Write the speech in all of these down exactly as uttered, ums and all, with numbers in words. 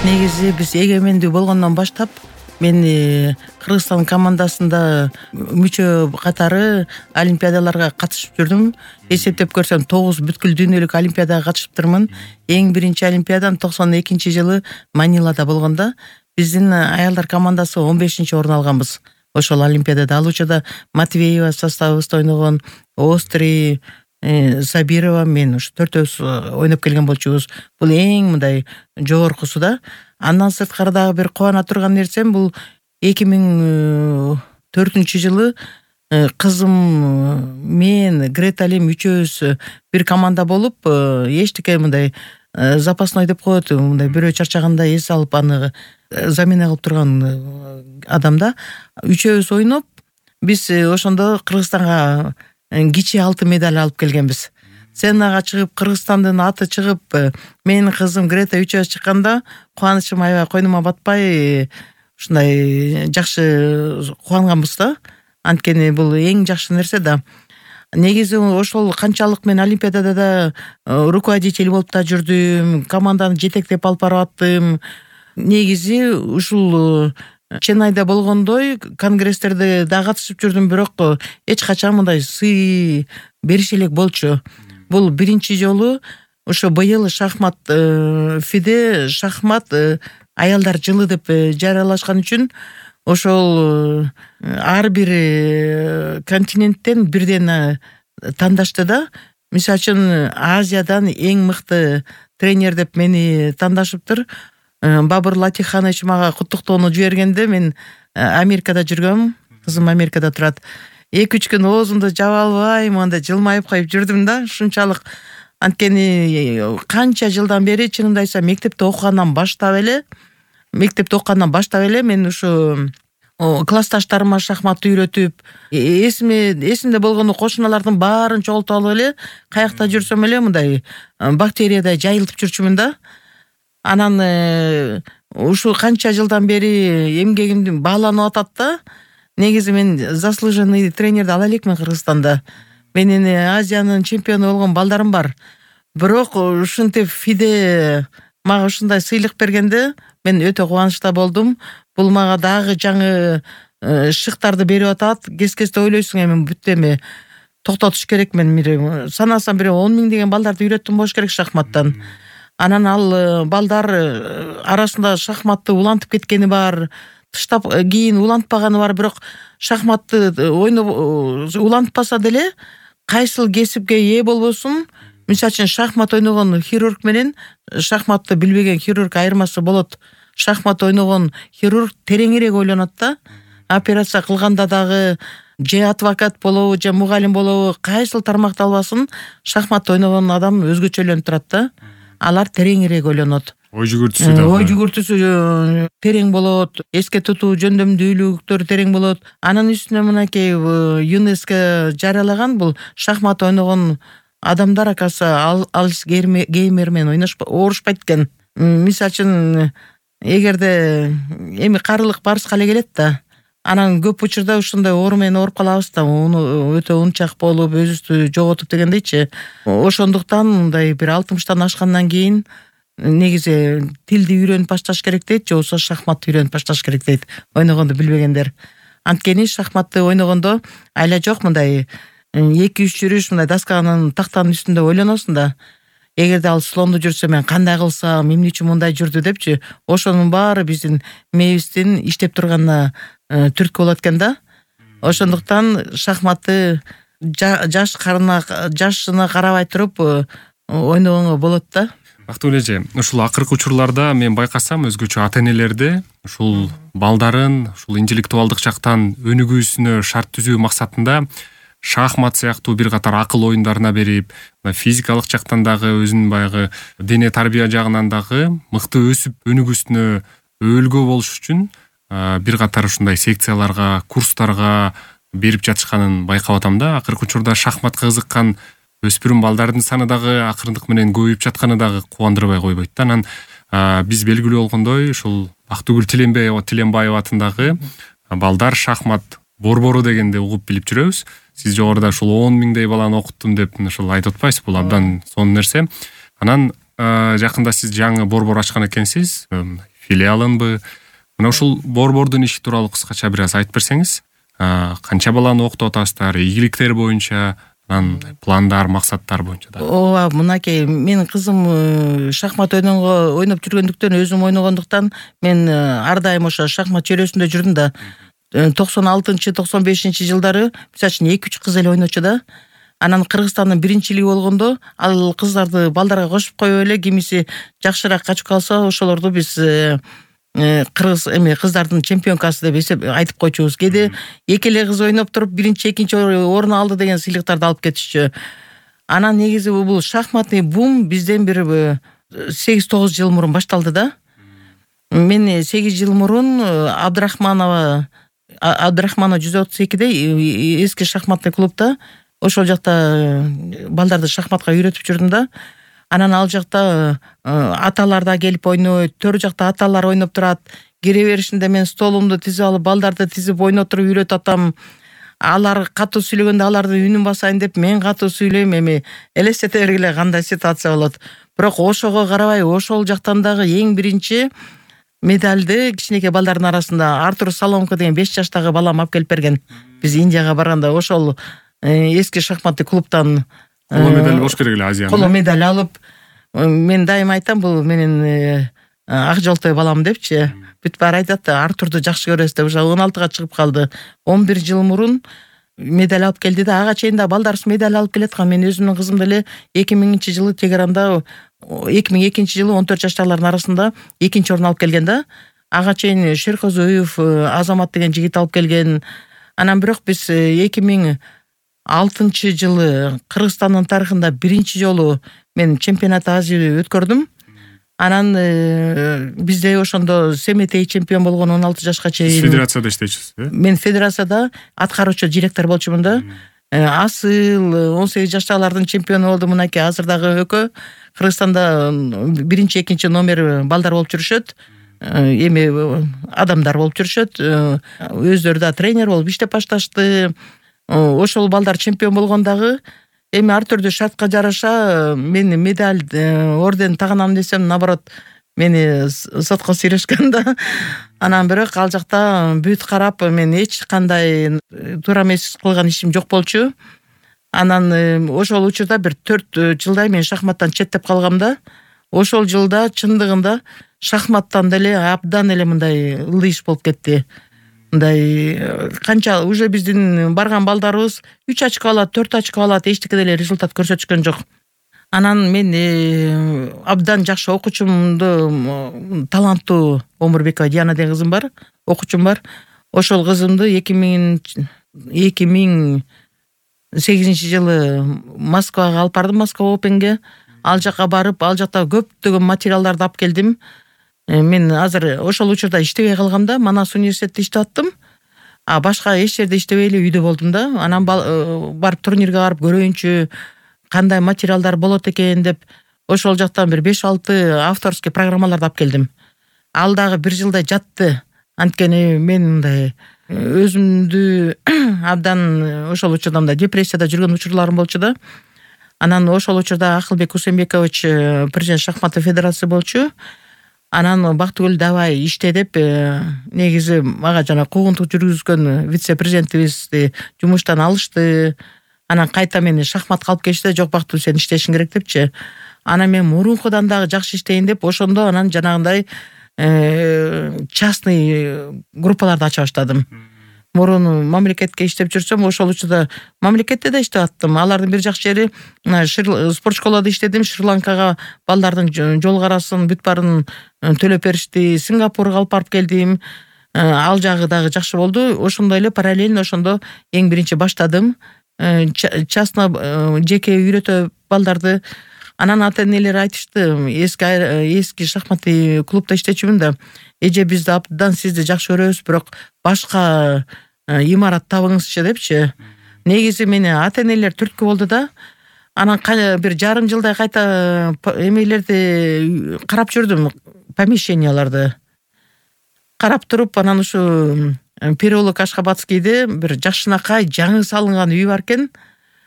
Негизи биз эгемендүү болгондон баштап мен Кыргызстан командасында мүчө катары олимпиадаларга катышып жүрдүм. Эсептеп көрсөм тогуз бүткүл дүйнөлүк олимпиадага катышыптырмын. Эң биринчи олимпиадам токсон экинчи жылы Манилада болгондо биздин аялдар командасы он бешинчи орун алганбыз. Ошол олимпиадада ал учурда Матвеева составыбызда ойногон, Остри, Сабирова, мен ушу төртөөбүз ойноп келген болчубуз. Бул эң мындай жогоркусу да. Андан сырткары дагы бир кубана турган нерсем бул эки миң төртүнчү жылы кызым, мен, Греталим үчөөбүз бир команда болуп, эчтеке мындай запасной деп коет, мындай бирөө чарчаганда эс алып аны замена кылып турган адамда үчөөбүз ойноп, биз ошондо Кыргызстанга кичи алтын медаль алып келгенбиз. Сценага чыгып, Кыргызстандын аты чыгып, менин кызым Грета үчөөбүз чыкканда кубанычым аябай койнума батпай, ушундай жакшы кубанганбыз да. Анткени бул эң жакшы нерсе да. Негизи ошол канчалык мен олимпиадада да руководитель болуп да жүрдүм, команданы жетектеп алып барып, негизи ушул Ченайда болгондой конгресстерде да катышып жүрдүм, бирок эч качан мындай сый бериши элек болчу. Бул биринчи жолу ошо быйыл шахмат ФИДе шахмат аялдар жылы деп жарыялашкан үчүн ошол ар бир континенттен бирден тандашты да. Мисалы үчүн Азиядан эң мыкты тренер деп мени тандашыптыр. Бабур Латиханович мага куттуктоону жибергенде мен Америкада жүргөм, кызым Америкада турат. эки үч күн оозумду жаба албай, мындай жылмайып коюп жүрдүм да. Ушунчалык, анткени канча жылдан бери чынымды айтсам мектепте окугандан баштап эле, мектепте окугандан баштап эле мен ушу классташтарыма шахматты үйрөтүп, эсиме эсимде болгону кошуналардын баарын чогултуп алып эле, каякта жүрсөм эле мындай бактериядай жайылтып жүрчүмүн да. Анан ушу канча жылдан бери эмгегим бааланып атат да. Негизи мен заслуженный тренерди ала элекмин Кыргызстанда. Менин Азиянын чемпиону болгон балдарым бар. Бирок ушинтип ФИДе мага ушундай сыйлык бергенде мен өтө кубанычта болдум. Бул мага дагы жаңы шыктарды берип атат. Кез-кезде ойлойсуң, эми бүт эми токтотуш керекмин. Санасам бир он миң деген балдарды үйрөттүм болуш керек шахматтан. Анан ал балдар арасында шахматты улантып кеткени бар, тыштап кийин улантпаганы бар, бирок шахматты ойноп улантпаса деле кайсыл кесипке ээ болбосун, мисалы үчүн шахмат ойногон хирург менен шахматты билбеген хирург айырмасы болот. Шахмат ойногон хирург тереңирээк ойлонот да. Операция кылганда дагы же адвокат болобу, же мугалим болобу, кайсыл тармакты албасын, шахмат ойногон адам өзгөчөлөнүп турат да. Алар тереңирээк ойлонот. Ой жүгүртүүсү да. Ой жүгүртүүсү терең болот, эске тутуу жөндөмдүүлүктөр терең болот. Анын үстүнө мынакей ЮНЕСКО жарыялаган бул шахмат ойногон адамдар акасы альцгеймер менен оорушпайт экен. Мисалы үчүн эгерде эми карылык барыбызга эле келет да. Анан көп учурда ушундай оору менен ооруп калабыз да, уну өтө унчак болуп, өзүбүздү жоготуп дегендейчи. Ошондуктан мындай бир алтымыштан ашкандан кийин негизи тилди үйрөнүп башташ керек дейт, же болбосо шахматты үйрөнүп башташ керек дейт, ойногонду билбегендер. Анткени шахматты ойногондо айла жок, мындай эки үч жүрүш мындай досканын тактанын үстүндө ойлоносуң да. Эгерде ал слонду жүрсө мен кандай кылсам, эмне үчүн мындай жүрдү депчи, ошонун баары биздин мээбиздин иштеп турганына түрткү болот экен да. Ошондуктан шахматты жаш карына жашына карабай туруп ойногонго болот да. Бактыгүл эже, ушул акыркы учурларда мен байкасам өзгөчө ата-энелерде ушул балдарын ушул интеллектуалдык жактан өнүгүүсүнө шарт түзүү максатында шахмат сыяктуу бир катар акыл оюндарына берип, физикалык жактан дагы өзүнүн баягы дене тарбия жагынан дагы мыкты өсүп өнүгүүсүнө өөлгө болуш үчүн бир катар ушундай секцияларга, курстарга берип жатышканын байкап атам да. Акыркы учурда шахматка кызыккан өспүрүм балдардын саны дагы акырындык менен көбөйүп жатканы дагы кубандырбай койбойт да. Анан биз белгилүү болгондой ушул Бактыгүл Тиленбаева атындагы балдар шахмат борбору дегенди угуп билип жүрөбүз. Сиз жогоруда ушул он миңдей баланы окуттум деп ушул айтып атпайсыз, бул абдан сонун нерсе. Анан жакында сиз жаңы борбор ачкан экенсиз. филиалынбы? Мына ушул борбордун иши тууралуу кыскача бир аз айтып берсеңиз. Канча баланы окутуп атасыздар, ийгиликтер боюнча, анан пландар, максаттар боюнча да. Ооба, мынакей менин кызым шахмат ойногонго ойноп жүргөндүктөн, өзүм ойногондуктан мен ар дайым ошо шахмат чөйрөсүндө жүрдүм да. токсон алтынчы токсон бешинчи жылдары мисалы үчүн эки үч кыз эле ойночу да. Анан Кыргызстандын биринчилиги болгондо ал кыздарды балдарга кошуп коюп эле, кимиси жакшыраак качып калса ошолорду биз кыргыз эме кыздардын чемпионкасы деп эсеп айтып койчубуз. Кээде эки эле кыз ойноп туруп биринчи, экинчи орун алды деген сыйлыктарды алып кетишчү. Анан негизи бул шахматный бум бизден бир сегиз тогуз жыл мурун башталды да. Мен сегиз жыл мурун Абдрахманова Абдрахманова жүз отуз экиде эски шахматный клубда ошол жакта балдарды шахматка үйрөтүп жүрдүм да. Анан ал жакта аталар да келип ойнойт, төр жакта аталар ойноп турат. Кире беришинде мен столумду тизип алып, балдарды тизип ойнотуруп үйрөтүп атам. Алар катуу сүйлөгөндө алардын үнүн басайын деп мен катуу сүйлөйм, эми элестете бергиле кандай ситуация болот. Бирок ошого карабай, ошол жактан дагы эң биринчи медальды кичинекей балдардын арасында Артур Соломко деген беш жаштагы балам алып келип берген. Биз Индияга барганда ошол эски шахматный клубтан коло медаль болуш керек эле, Азияны. Коло медаль алып, мен дайым айтам, бул менин ак жолтой балам депчи. Бүт баары айтат, Артурду жакшы көрөсүз деп. Уже он алтыга чыгып калды. он бир жыл мурун медаль алып келди да. Ага чейин да балдарыбыз медаль алып келаткан. Мен өзүмдүн кызымды эле эки миңинчи жылы Тегеранда, эки миң экинчи жылы он төрт жаштагылардын арасында экинчи орун алып келген да. Ага чейин Шеркозуев Азамат деген жигит алып келген. Анан бирок биз эки миң алтынчы жылы Кыргызстандын тарыхында биринчи жолу мен чемпионат Азия өткөрдүм. Анан бизде ошондо Семетей чемпион болгон он алты жашка чейин. Федерацияда иштейчүсүз, э? Мен федерацияда аткаруучу директор болчумун да. Асыл он сегиз жаштагылардын чемпиону болду. Мынакей азыр дагы өкө Кыргызстанда биринчи, экинчи номер балдар болуп жүрүшөт. Эми адамдар болуп жүрүшөт. Өздөрү да тренер болуп иштеп башташты. Ошол балдар чемпион болгондагы эми ар түрдүү шартка жараша мен медаль, орден таганам десем, наоборот, мени сотко сүйрөшкөн да. Анан бирок ал жакта бүт карап, мен эч кандай туура эмес кылган ишим жок болчу. Анан ошол учурда бир төрт жылдай мен шахматтан четтеп калгам да. Ошол жылда чындыгында шахматтан деле абдан эле мындай ылдый иш болуп кетти. Мындай канча уже биздин барган балдарыбыз үч очко алат, төрт очко алат, эчтеке деле результат көрсөтүшкөн жок. Анан мен абдан жакшы окуучумду, таланттуу Омурбекова Диана деген кызым бар, окуучум бар. Ошол кызымды эки миң сегизинчи жылы Москвага алып бардым, Москва Опенге. Ал жака барып, ал жакта көптөгөн материалдарды алып келдим. Мен азыр ошол учурда иштебей калгам да, Манас университетте иштеп аттым. А башка эч жерде иштебей эле үйдө болдум да. Анан барып турнирге барып көрөйүнчү, кандай материалдар болот экен деп, ошол жактан бир беш алты авторский программаларды алып келдим. Ал дагы бир жылдай жатты. Анткени мен мындай өзүмдү абдан ошол учурда мындай депрессияда жүргөн учурларым болчу да. Анан ошол учурда Акылбек Усенбекович президент шахматный федерация болчу. Анан Бактыгүл давай иште деп, негизи мага жана куугунтук жүргүзгөн вице-президентибизди жумуштан алышты. Анан кайта мени шахматка алып келишти. Жок, Бактыгүл, сен иштешиң керек депчи. Анан мен мурункудан дагы жакшы иштейин деп, ошондо анан жанагындай частный группаларды ача баштадым. Мурун мамлекетке иштеп жүрсөм, ошол учурда мамлекетте да иштеп аттым. Алардын бир жакшы жери, спорт школада иштедим. Шри-Ланкага балдардын жол карасын бүт баарын төлөп беришти. Сингапурга алып барып келдим. Ал жагы дагы жакшы болду. Ошондой эле параллельно ошондо эң биринчи баштадым. Частно жеке үйрөтө балдарды. Анан ата-энелер айтышты, эски эски шахматный клубда иштечүмүн да. Эже, бизди абдан сизди жакшы көрөбүз, бирок башка имарат табыңызчы депчи. Негизи мени ата-энелер түрткү болду да. Анан бир жарым жылдай кайта эмелерди карап жүрдүм, помещенияларды карап туруп, анан ушу Переулок Ашхабадскийде бир жакшынакай жаңы салынган үй бар экен.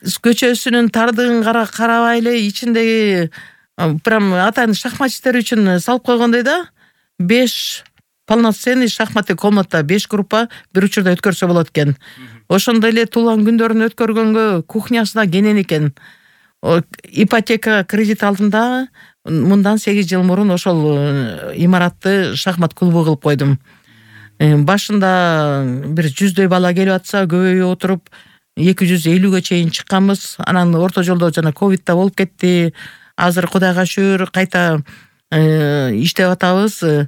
Көчөсүнүн тардыгын карабай эле ичиндеги прям атайын шахматчиттер үчүн салып койгондой да. беш полноценный шахматный комната, беш группа бир учурда өткөрсө болот экен. Ошондой эле туулган күндөрүн өткөргөнгө кухнясы да кенен экен. Ипотека кредит алдым да мындан сегиз жыл мурун ошол имаратты шахмат клубу кылып койдум. Башында бир жүздөй бала келип атса, көбөйүп отуруп эки жүз элүүгө чейин чыкканбыз. Анан орто жолдо жана ковид да болуп кетти. Азыр Кудайга шүгүр кайта иштеп атабыз.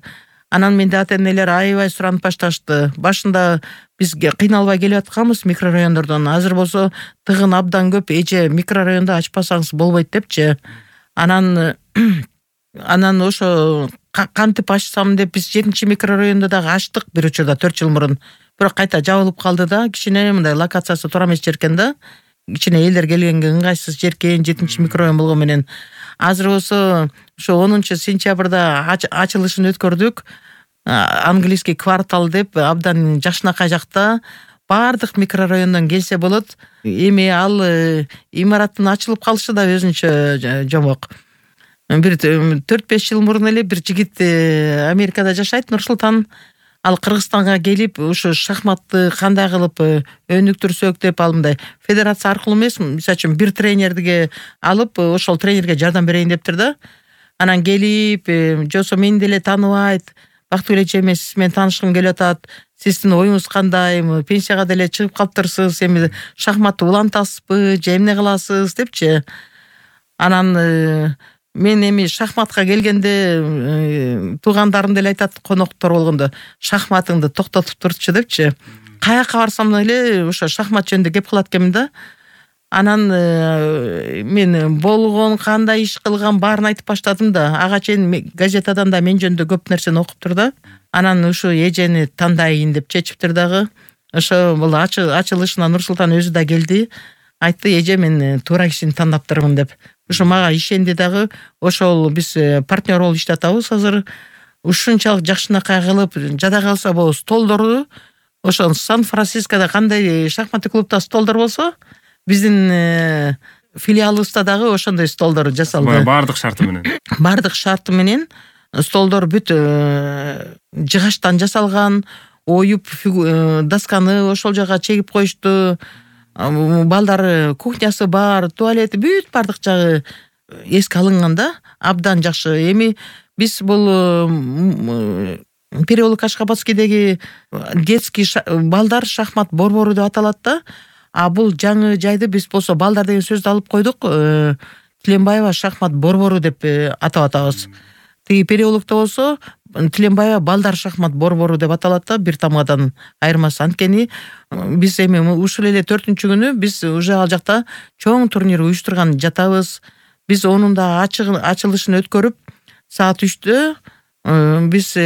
Анан менде ата-энелер аябай суранып башташты. Башында биз кыйналбай келип атканбыз микрорайондордон. Азыр болсо тыгын абдан көп, эже микрорайондо ачпасаңыз болбойт депчи. Анан анан ошо кантип ачсам деп биз жетинчи микрорайондо дагы ачтык бир учурда төрт жыл мурун. Бирок кайта жабылып калды да, кичине мындай локациясы туура эмес жеркен да. Кичине элдер келгенге ыңгайсыз жеркен, жетинчи микрорайон болгон менен. Азыр болсо ошо онунчу сентябрда ачылышын өткөрдүк. Английский квартал деп абдан Жакшынакай жакта баардык микрорайондон келсе болот. Эми ал имараттын ачылып калышы да өзүнчө жомок. Бир төрт беш жыл мурун эле бир жигит Америкада жашайт, Нурсултан. Ал Кыргызстанга келип, ушу шахматты кандай кылып өнүктүрсөк деп, ал мындай федерация аркылуу эмес, мисалы үчүн бир тренерге алып, ошол тренерге жардам берейин дептир да. Анан келип, жосо мени деле тааныбайт, Бактыгүл эже мен сиз менен таанышкым келип атат. Сиздин оюңуз кандай? Пенсияга деле чыгып калыптырсыз. Эми шахматты улантасызбы, же эмне кыласыз депчи. Анан мен эми шахматка келгенде туугандарым деле айтат, коноктор болгондо, шахматыңды токтотуп турчу депчи. Каяка барсам эле ошо шахмат жөнүндө кеп кылат экенмин да. Анан мен болгон, кандай иш кылган баарын айтып баштадым да. Ага чейин газетадан да мен жөнүндө көп нерсени окуптур да. Анан ушу эжени тандайын деп чечиптир дагы. Ошо бул ачылышына Нурсултан өзү да келди. Айтты, эже мен туура кишини тандаптырмын деп. Ошо мага ишенди дагы. Ошол биз партнер болуп иштеп атабыз азыр. Ушунчалык Жакшынакай кылып жада калса болобу столдорду. Ошо Сан-Францискода кандай шахматный клубда столдор болсо, биздин филиалыбызда дагы ошондой столдор жасалды. Баардык шарты менен. Баардык шарты менен столдор бүт жыгачтан жасалган, оюп досканы ошол жака чегип коюшту. Балдар кухнясы бар, туалети бүт баардык жагы эске алынган да. Абдан жакшы. Эми биз бул переулок Ашкабадскийдеги детский балдар шахмат борбору деп аталат да. А бул жаңы жайды биз болсо балдар деген сөздү алып койдук. Тиленбаева шахмат борбору деп атап атабыз. Тиги переулокто болсо Тиленбаева балдар шахмат борбору деп аталат да, бир тамгадан айырмасы. Анткени биз эми ушул эле төртүнчү күнү биз уже ал жакта чоң турнир уюштурган жатабыз. Биз онун да ачылышын өткөрүп, саат үчтө биз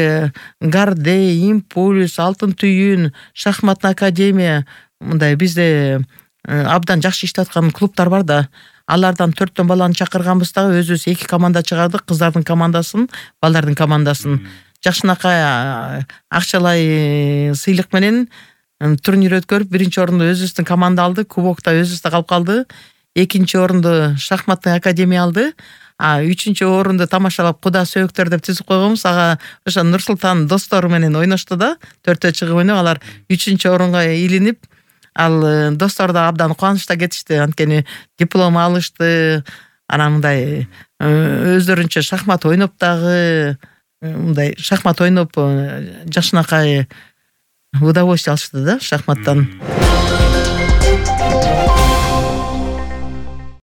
Гарде, Импульс, Алтын түйүн, шахматный академия, мындай бизде абдан жакшы иштеп аткан клубтар бар да. Алардан төрттөн баланы чакырганбыз дагы, өзүбүз эки команда чыгардык, кыздардын командасын, балдардын командасын. Жакшынакай акчалай сыйлык менен турнир өткөрүп, биринчи орунду өзүбүздүн команда алды, кубокта өзүбүздө калып калды. Экинчи орунду шахматный академия алды. А үчүнчү орунду тамашалап Куда сөөктөр деп түзүп койгонбуз. Ага ошо Нурсултан достору менен ойношту да. Төртөө чыгып ойноп, алар үчүнчү орунга илинип, ал достор да абдан кубанычта кетишти. Анткени диплом алышты. Анан мындай өздөрүнчө шахмат ойноп дагы, мындай шахмат ойноп Жакшынакай удовольствие алышты да шахматтан.